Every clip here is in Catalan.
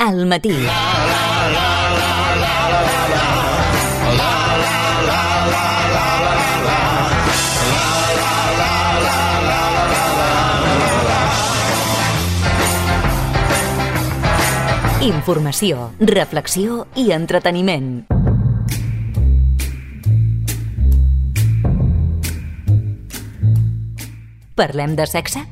al matí. Informació, reflexió i entreteniment. Parlem de sexe?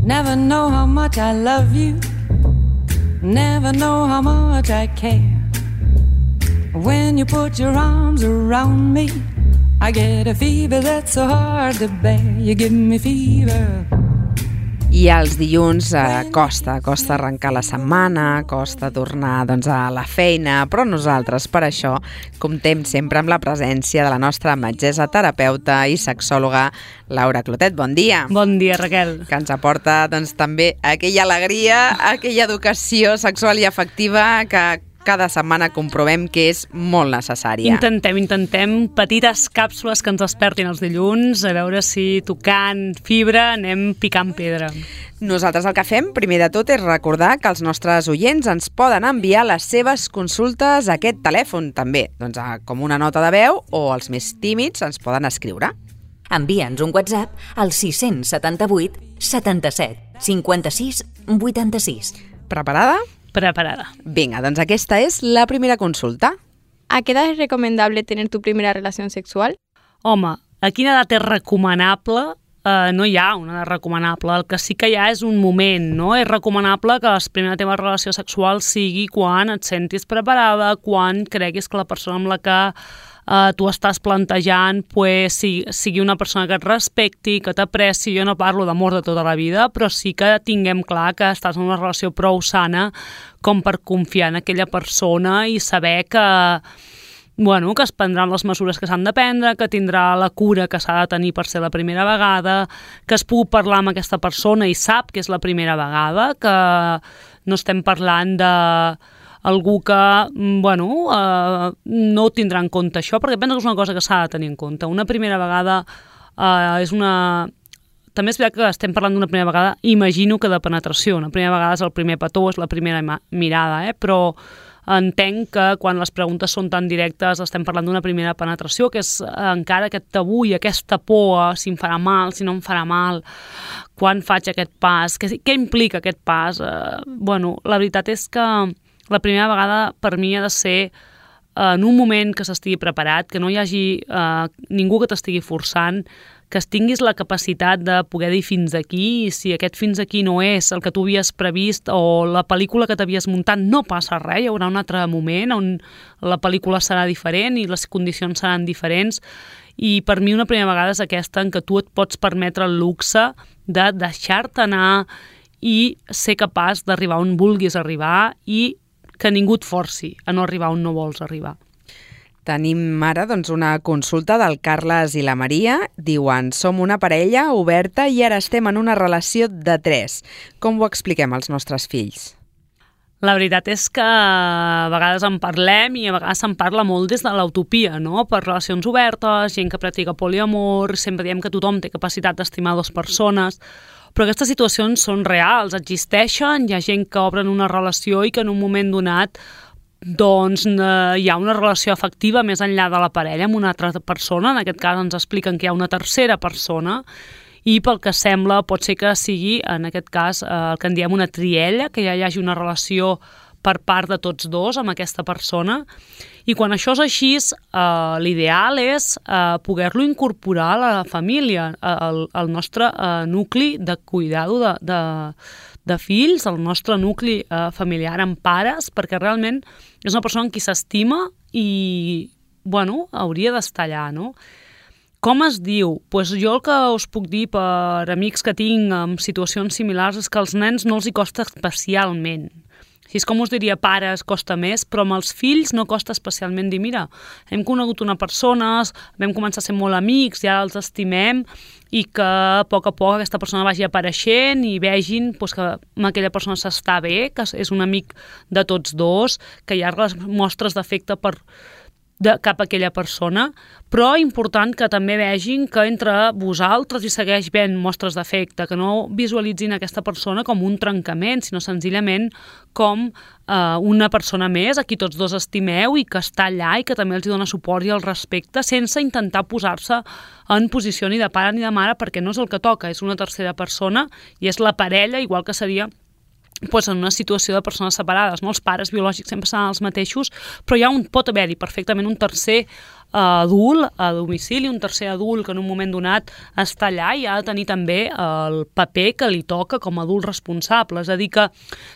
Never know how much I love you. Never know how much I care. When you put your arms around me, I get a fever that's so hard to bear. You give me fever. I els dilluns costa arrencar la setmana, costa tornar a la feina, però nosaltres per això comptem sempre amb la presència de la nostra metgessa, terapeuta i sexòloga Laura Clotet. Bon dia. Bon dia, Raquel. Que ens aporta també aquella alegria, aquella educació sexual i afectiva que cada setmana comprovem que és molt necessària. Intentem petites càpsules que ens despertin els dilluns, a veure si tocant fibra anem picant pedra. Nosaltres el que fem, primer de tot, és recordar que els nostres oients ens poden enviar les seves consultes a aquest telèfon, també, com una nota de veu, o els més tímids ens poden escriure. Envia'ns un WhatsApp al 678 77 56 86. Preparada? Preparada. Vinga, doncs aquesta és la primera consulta. ¿A qué edad es recomendable tener tu primera relación sexual? Home, a quina edat és recomanable? No hi ha una edat recomanable. El que sí que hi ha és un moment, no? És recomanable que la primera teva relació sexual sigui quan et sentis preparada, quan creguis que la persona amb la que tu estàs plantejant sigui una persona que et respecti, que t'apreci. Jo no parlo d'amor de tota la vida, però sí que tinguem clar que estàs en una relació prou sana com per confiar en aquella persona i saber que es prendran les mesures que s'han de prendre, que tindrà la cura que s'ha de tenir per ser la primera vegada, que es pugui parlar amb aquesta persona i sap que és la primera vegada, que no estem parlant de algú que, no tindrà en compte això, perquè penso que és una cosa que s'ha de tenir en compte. Una primera vegada és una... També és veritat que estem parlant d'una primera vegada, imagino que de penetració. Una primera vegada és el primer petó, és la primera mirada, però entenc que quan les preguntes són tan directes estem parlant d'una primera penetració, que és encara aquest tabú i aquesta por, si em farà mal, si no em farà mal, quan faig aquest pas, què implica aquest pas? La veritat és que la primera vegada per mi ha de ser en un moment que s'estigui preparat, que no hi hagi ningú que t'estigui forçant, que tinguis la capacitat de poder dir fins aquí, i si aquest fins aquí no és el que tu havies previst o la pel·lícula que t'havies muntat, no passa res, hi haurà un altre moment on la pel·lícula serà diferent i les condicions seran diferents. I per mi una primera vegada és aquesta en què tu et pots permetre el luxe de deixar-te anar i ser capaç d'arribar on vulguis arribar i que ningú et forci a no arribar on no vols arribar. Tenim ara una consulta del Carles i la Maria. Diuen, som una parella oberta i ara estem en una relació de 3. Com ho expliquem als nostres fills? La veritat és que a vegades en parlem i a vegades se'n parla molt des de l'utopia, no? Per relacions obertes, gent que practica poliamor, sempre diem que tothom té capacitat d'estimar 2 persones, però aquestes situacions són reals, existeixen, hi ha gent que obren una relació i que en un moment donat hi ha una relació afectiva més enllà de la parella amb una altra persona. En aquest cas ens expliquen que hi ha una tercera persona i pel que sembla pot ser que sigui, en aquest cas, el que en diem una triella, que ja hi hagi una relació per part de tots dos amb aquesta persona. I quan això és així, l'ideal és poder-lo incorporar a la família, al nostre nucli de cuidado de fills, el nostre nucli familiar amb pares, perquè realment és una persona en qui s'estima i, hauria d'estar allà, no? Com es diu? Jo el que us puc dir per amics que tinc en situacions similars és que als nens no els hi costa especialment. Així és com us diria, pares costa més, però amb els fills no costa especialment dir, mira, hem conegut una persona, vam començar a ser molt amics, ja els estimem, i que a poc aquesta persona vagi apareixent i vegin que amb aquella persona s'està bé, que és un amic de tots dos, que hi ha les mostres d'afecte per cap a aquella persona, però important que també vegin que entre vosaltres hi segueix ben mostres d'afecte, que no visualitzin aquesta persona com un trencament, sinó senzillament com una persona més a qui tots dos estimeu i que està allà i que també els dona suport i el respecte, sense intentar posar-se en posició ni de pare ni de mare, perquè no és el que toca, és una tercera persona i és la parella, igual que seria pues en una situació de persones separades, no? Els pares biològics sempre seran els mateixos, però pot haver-hi perfectament un tercer adult a domicili, un tercer adult que en un moment donat està allà i ha de tenir també el paper que li toca com a adult responsable. És a dir, que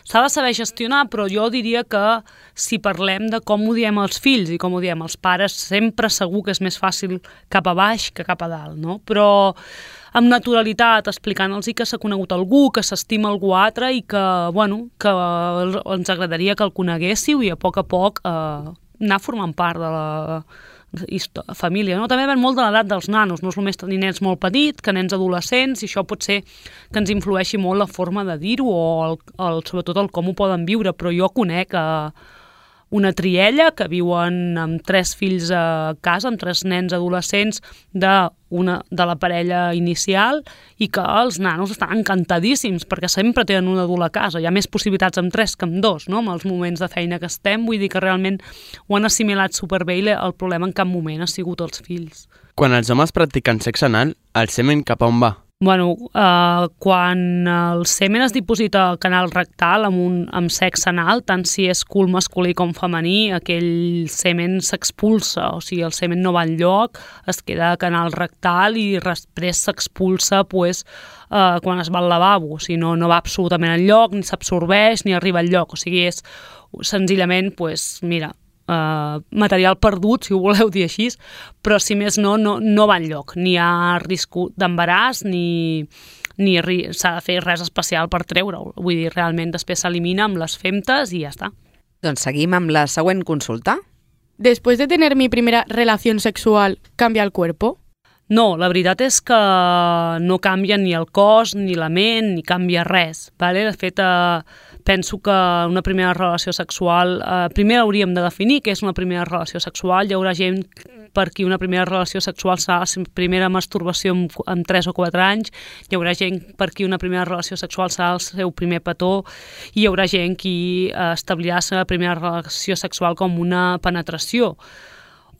s'ha de saber gestionar, però jo diria que si parlem de com ho diem als fills i com ho diem als pares, sempre segur que és més fàcil cap a baix que cap a dalt, no? Però amb naturalitat, explicant-los que s'ha conegut algú, que s'estima algú altre i que, que ens agradaria que el coneguéssiu i a poc anar formant part de la família. No? També depèn molt de l'edat dels nanos, no és només tenir nens molt petits que nens adolescents, i això pot ser que ens influeixi molt la forma de dir-ho o sobretot el com ho poden viure, però jo conec una triella que viuen amb 3 fills a casa, amb 3 nens adolescents de la parella inicial i que els nanos estan encantadíssims perquè sempre tenen un adult a casa. Hi ha més possibilitats amb 3 que amb 2, no? Amb els moments de feina que estem, vull dir que realment ho han assimilat superbé i el problema en cap moment ha sigut els fills. Quan els homes practiquen sexe anal, el semen cap a on va? Quan el semen es diposita al canal rectal amb sexe anal, tant si és cul masculí com femení, aquell semen s'expulsa, o sigui, el semen no va enlloc, es queda al canal rectal i després s'expulsa quan es va al lavabo, o sigui, no va absolutament enlloc, ni s'absorbeix, ni arriba enlloc, o sigui, és senzillament, material perdut, si ho voleu dir així, però si més no va enlloc, ni hi ha risc d'embaràs, ni s'ha de fer res especial per treure-ho. Vull dir, realment després s'elimina amb les femtes i ja està. Doncs seguim amb la següent consulta. Después de tener mi primera relación sexual, ¿cambia el cuerpo? No, la veritat és que no canvia ni el cos, ni la ment, ni canvia res. Vale? De fet, penso que una primera relació sexual... primer hauríem de definir què és una primera relació sexual. Hi haurà gent per qui una primera relació sexual serà la primera masturbació amb 3 o 4 anys, hi haurà gent per qui una primera relació sexual serà el seu primer petó, i hi haurà gent qui establirà la seva primera relació sexual com una penetració.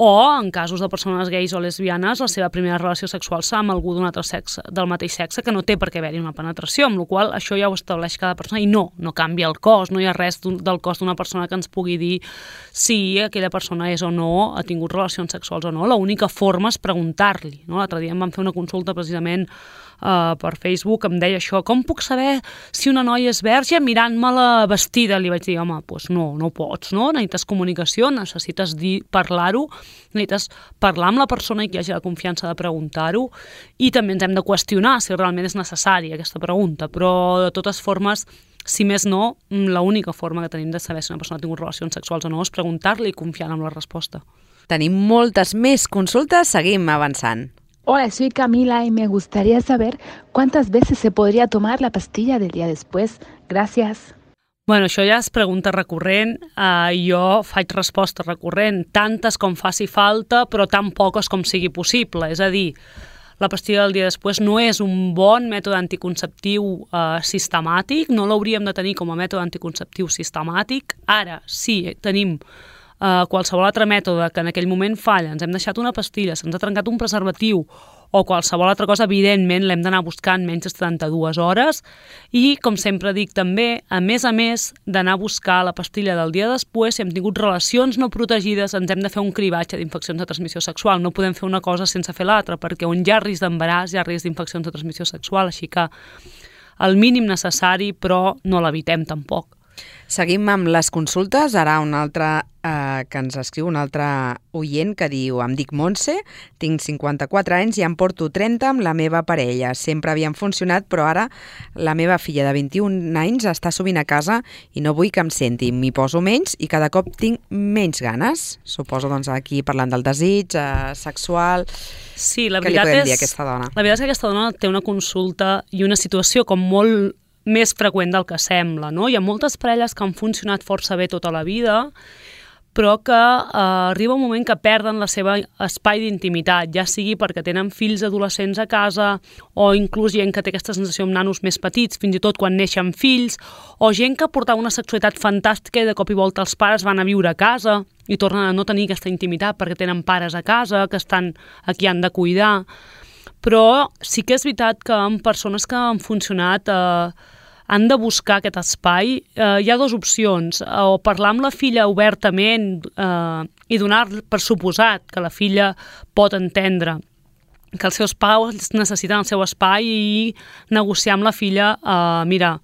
O, en casos de persones gais o lesbianes, la seva primera relació sexual serà amb algú d'un altre sexe, del mateix sexe, que no té per què haver-hi una penetració, amb la qual cosa això ja ho estableix cada persona, i no canvia el cos, no hi ha res del cos d'una persona que ens pugui dir si aquella persona és o no, ha tingut relacions sexuals o no. L'única forma és preguntar-li. No? L'altre dia em van fer una consulta precisament per Facebook, em deia això, com puc saber si una noia és verge mirant-me-la vestida? Li vaig dir, home, doncs no ho pots, no? Necessites comunicació, necessites parlar-ho, necessites parlar amb la persona i que hi hagi la confiança de preguntar-ho, i també ens hem de qüestionar si realment és necessària aquesta pregunta, però de totes formes, si més no, l'única forma que tenim de saber si una persona ha tingut relacions sexuals o no és preguntar-li i confiar en la resposta. Tenim moltes més consultes, seguim avançant. Hola, soy Camila y me gustaría saber cuántas veces se podría tomar la pastilla del día después. Gracias. Bueno, això ja és pregunta recurrent. Jo faig resposta recurrent, tantes com faci falta, però tan poques com sigui possible. És a dir, la pastilla del dia després no és un bon mètode anticonceptiu sistemàtic, no l'hauríem de tenir com a mètode anticonceptiu sistemàtic. Ara, sí, tenim qualsevol altre mètode que en aquell moment falla, ens hem deixat una pastilla, se'ns ha trencat un preservatiu o qualsevol altra cosa, evidentment l'hem d'anar buscant menys de 72 hores i, com sempre dic també, a més d'anar a buscar la pastilla del dia després, si hem tingut relacions no protegides, ens hem de fer un cribatge d'infeccions de transmissió sexual. No podem fer una cosa sense fer l'altra, perquè on hi ha risc d'embaràs hi ha risc d'infeccions de transmissió sexual, així que el mínim necessari, però no l'evitem tampoc. Seguim amb les consultes. Ara una altra que ens escriu, un altre oient que diu: em dic Montse, tinc 54 anys i em porto 30 amb la meva parella. Sempre havien funcionat, però ara la meva filla de 21 anys està sovint a casa i no vull que em senti. M'hi poso menys i cada cop tinc menys ganes. Suposo, doncs, aquí parlant del desig sexual. Sí, la veritat què li podem dir a aquesta dona? La veritat és que aquesta dona té una consulta i una situació com molt més freqüent del que sembla, no? Hi ha moltes parelles que han funcionat força bé tota la vida, però que arriba un moment que perden la seva espai d'intimitat, ja sigui perquè tenen fills adolescents a casa, o inclús gent que té aquesta sensació amb nanos més petits, fins i tot quan neixen fills, o gent que portava una sexualitat fantàstica i de cop i volta els pares van a viure a casa i tornen a no tenir aquesta intimitat perquè tenen pares a casa, que estan a qui han de cuidar. Però sí que és veritat que en persones que han funcionat han de buscar aquest espai. Hi ha dues opcions, o parlar amb la filla obertament i donar per suposat que la filla pot entendre que els seus pares necessiten el seu espai i negociar amb la filla, mira,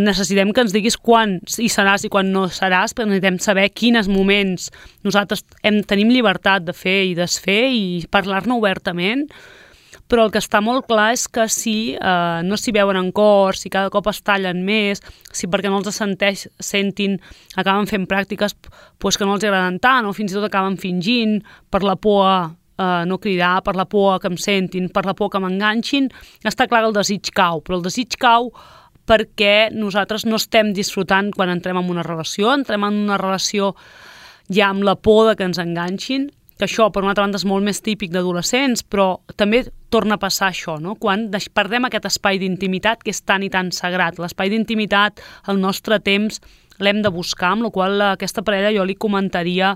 necessitem que ens diguis quan hi seràs i quan no seràs, perquè necessitem saber quins moments nosaltres tenim llibertat de fer i desfer i parlar-ne obertament. Però el que està molt clar és que si no s'hi veuen en cor, si cada cop es tallen més, si perquè no els sentin acaben fent pràctiques pues, que no els agraden tant, o fins i tot acaben fingint per la por a no cridar, per la por que em sentin, per la por que m'enganxin, està clar que el desig cau, però el desig cau perquè nosaltres no estem disfrutant quan entrem en una relació, entrem en una relació ja amb la por de que ens enganxin, que això, per una altra banda, és molt més típic d'adolescents, però també torna a passar això, no? Quan perdem aquest espai d'intimitat que és tan i tan sagrat. L'espai d'intimitat, el nostre temps, l'hem de buscar, amb la qual cosa aquesta parella jo li comentaria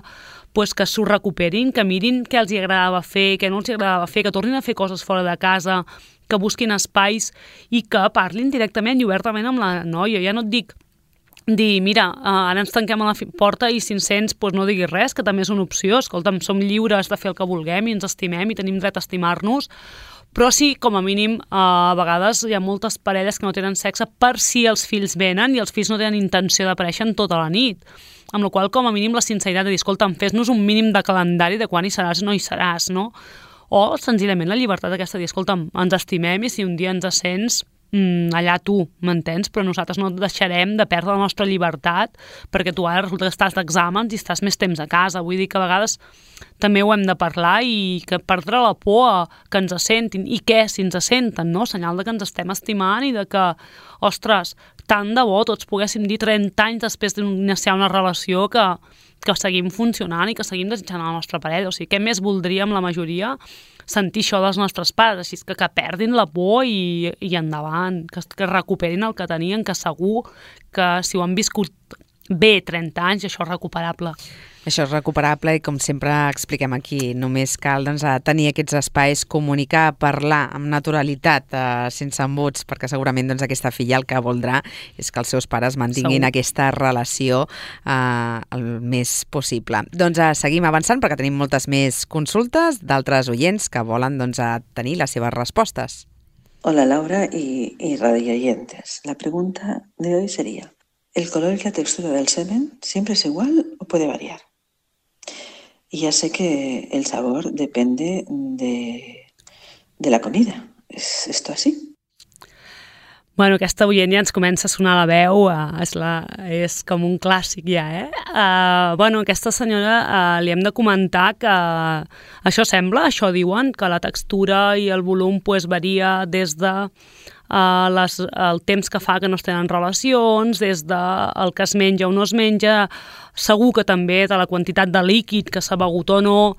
pues, que s'ho recuperin, que mirin què els agradava fer, què no els agradava fer, que tornin a fer coses fora de casa, que busquin espais i que parlin directament i obertament amb la noia. Ja no et dic dir, mira, ara ens tanquem a la porta i si ens sents, doncs no diguis res, que també és una opció. Escolta'm, som lliures de fer el que vulguem i ens estimem i tenim dret a estimar-nos, però sí, com a mínim, a vegades hi ha moltes parelles que no tenen sexe per si els fills venen i els fills no tenen intenció d'aparèixer en tota la nit. Amb la qual, com a mínim, la sinceritat de dir, escolta'm, fes-nos un mínim de calendari de quan hi seràs o no hi seràs, no? O, senzillament, la llibertat aquesta de dir, escolta'm, ens estimem i si un dia ens sents, allà tu, m'entens? Però nosaltres no deixarem de perdre la nostra llibertat perquè tu ara resulta que estàs d'exàmens i estàs més temps a casa. Vull dir que a vegades també ho hem de parlar i que perdre la por a que ens sentin i què si ens senten, no? Senyal de que ens estem estimant i de que, ostres, tant de bo tots poguéssim dir 30 anys després d'iniciar una relació que seguim funcionant i que seguim desitjant la nostra parella. O sigui, què més voldríem la majoria sentir això dels nostres pares, així que perdin la por i endavant, que recuperin el que tenien, que segur que si ho han viscut bé 30 anys, això és recuperable. Això és recuperable i, com sempre expliquem aquí, només cal tenir aquests espais, comunicar, parlar amb naturalitat, sense embuts, perquè segurament aquesta filla el que voldrà és que els seus pares mantinguin aquesta relació el més possible. Doncs seguim avançant perquè tenim moltes més consultes d'altres oients que volen tenir les seves respostes. Hola Laura y radioyentes. La pregunta de hoy sería: ¿el color y la textura del semen siempre es igual o puede variar? Y ya sé que el sabor depende de la comida. ¿Es esto así? Bueno, aquesta oient ja ens comença a sonar la veu, és com un clàssic ja, Bueno, aquesta senyora li hem de comentar que això sembla, això diuen, que la textura i el volum varia des de el temps que fa que no es tenen relacions, des del que es menja o no es menja, segur que també de la quantitat de líquid que s'ha begut o no,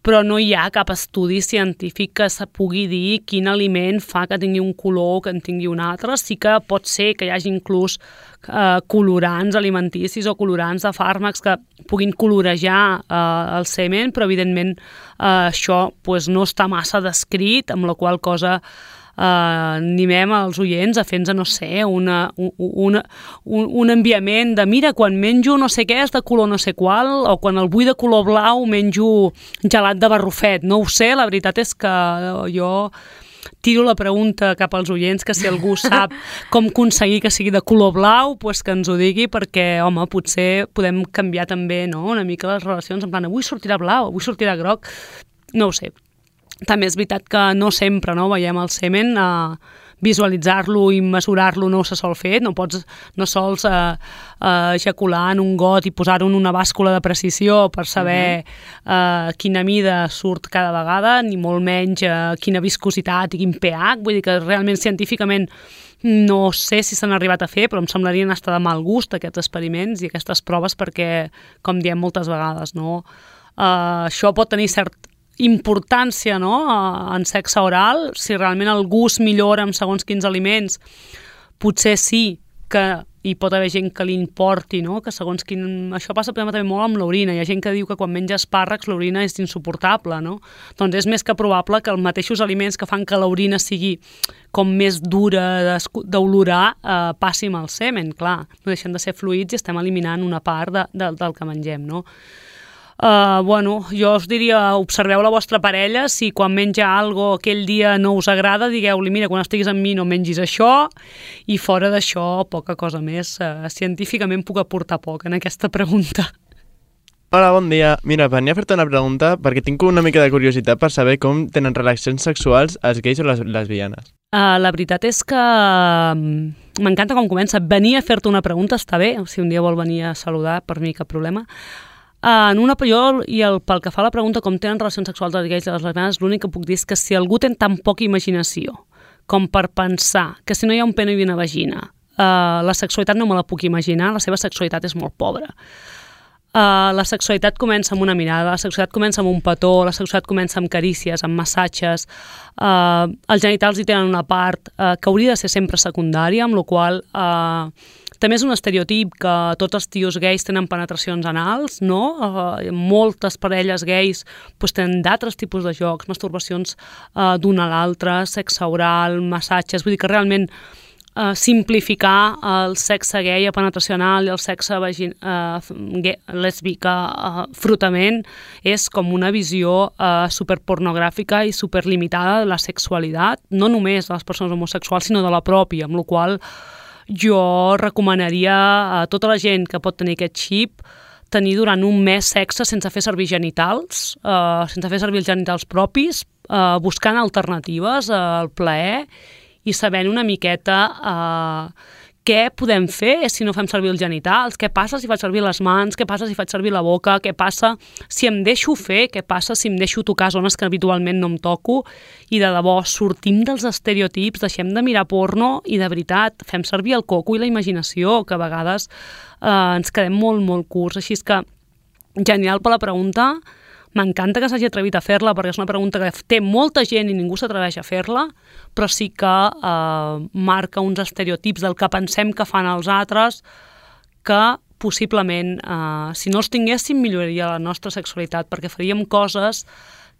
però no hi ha cap estudi científic que se pugui dir quin aliment fa que tingui un color o que en tingui un altre. Sí que pot ser que hi hagi inclús colorants alimenticis o colorants de fàrmacs que puguin colorejar el semen, però evidentment això no està massa descrit, amb la qual cosa animem els oients a fer-nos, no sé, un enviament de mira, quan menjo no sé què és de color no sé qual, o quan el vull de color blau menjo gelat de barrufet. No ho sé, la veritat és que jo tiro la pregunta cap als oients, que si algú sap com aconseguir que sigui de color blau, que ens ho digui, perquè, home, potser podem canviar també, no?, una mica les relacions, en plan, avui sortirà blau, avui sortirà groc, no ho sé. També és veritat que no sempre veiem el semen visualitzar-lo i mesurar-lo no se sol fer, no sols ejacular en un got i posar-ho en una bàscula de precisió per saber quina mida surt cada vegada, ni molt menys quina viscositat i quin pH, vull dir que realment científicament no sé si s'han arribat a fer, però em semblarien estar de mal gust aquests experiments i aquestes proves perquè, com diem moltes vegades, no? Això pot tenir certa importància, no? En sexe oral, si realment el gust millora amb segons quins aliments, potser sí que hi pot haver gent que li importi, no? Que segons quin... Això passa també molt amb l'orina. Hi ha gent que diu que quan menja espàrrecs l'orina és insuportable, no? Doncs és més que probable que els mateixos aliments que fan que l'orina sigui com més dura d'olorar passi amb el semen, clar. No deixen de ser fluids i estem eliminant una part del que mengem, no? Jo us diria, observeu la vostra parella, si quan menja algo aquell dia no us agrada, digueu-li, mira, quan estiguis amb mi no mengis això, i fora d'això, poca cosa més. Científicament puc aportar poc en aquesta pregunta. Hola, bon dia. Mira, venia a fer-te una pregunta perquè tinc una mica de curiositat per saber com tenen relacions sexuals els gais o les lesbianes. La veritat és que m'encanta com comença. Venir a fer-te una pregunta està bé, si un dia vol venir a saludar, per mi cap problema. Pel que fa a la pregunta com tenen relacions sexuals els gais i les lesbianes, l'únic que puc dir és que si algú té tan poca imaginació com per pensar que si no hi ha un pene i una vagina, la sexualitat no me la puc imaginar, la seva sexualitat és molt pobra. La sexualitat comença amb una mirada, la sexualitat comença amb un petó, la sexualitat comença amb carícies, amb massatges, els genitals hi tenen una part que hauria de ser sempre secundària, amb la qual també és un estereotip que tots els tios gais tenen penetracions anals, no? Moltes parelles gais tenen d'altres tipus de jocs, masturbacions d'una a l'altra, sexe oral, massatges, vull dir que realment simplificar el sexe gai a penetració anal i el sexe lèsbica frotament és com una visió superpornogràfica i superlimitada de la sexualitat, no només de les persones homosexuals, sinó de la pròpia, amb la qual jo recomanaria a tota la gent que pot tenir aquest xip tenir durant un mes sexe sense fer servir genitals, sense fer servir els genitals propis, buscant alternatives al plaer i sabent una miqueta què podem fer si no fem servir els genitals, què passa si faig servir les mans, què passa si faig servir la boca, què passa si em deixo fer, què passa si em deixo tocar zones que habitualment no em toco, i de debò sortim dels estereotips, deixem de mirar porno i de veritat fem servir el coco i la imaginació, que a vegades ens quedem molt, molt curts. Així és que genial per la pregunta. M'encanta que s'hagi atrevit a fer-la perquè és una pregunta que té molta gent i ningú s'atreveix a fer-la, però sí que marca uns estereotips del que pensem que fan els altres que possiblement, si no els tinguéssim, milloraria la nostra sexualitat perquè faríem coses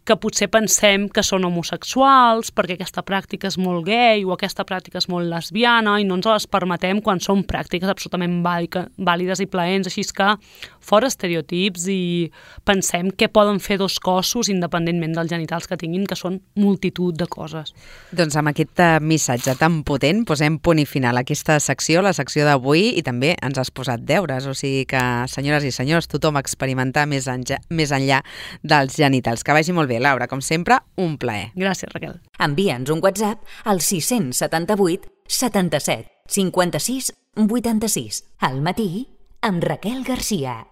que potser pensem que són homosexuals perquè aquesta pràctica és molt gay o aquesta pràctica és molt lesbiana i no ens les permetem quan són pràctiques absolutament vàlides i plaents, així que fora estereotips i pensem què poden fer dos cossos independentment dels genitals que tinguin, que són multitud de coses. Doncs amb aquest missatge tan potent posem punt i final a aquesta secció, la secció d'avui, i també ens has posat deures, o sigui que, senyores i senyors, tothom experimentar més enllà dels genitals. Que vagi molt bé, Laura, com sempre, un plaer. Gràcies, Raquel. Envia'ns un WhatsApp al 678 77 56 86. Al matí, amb Raquel Garcia.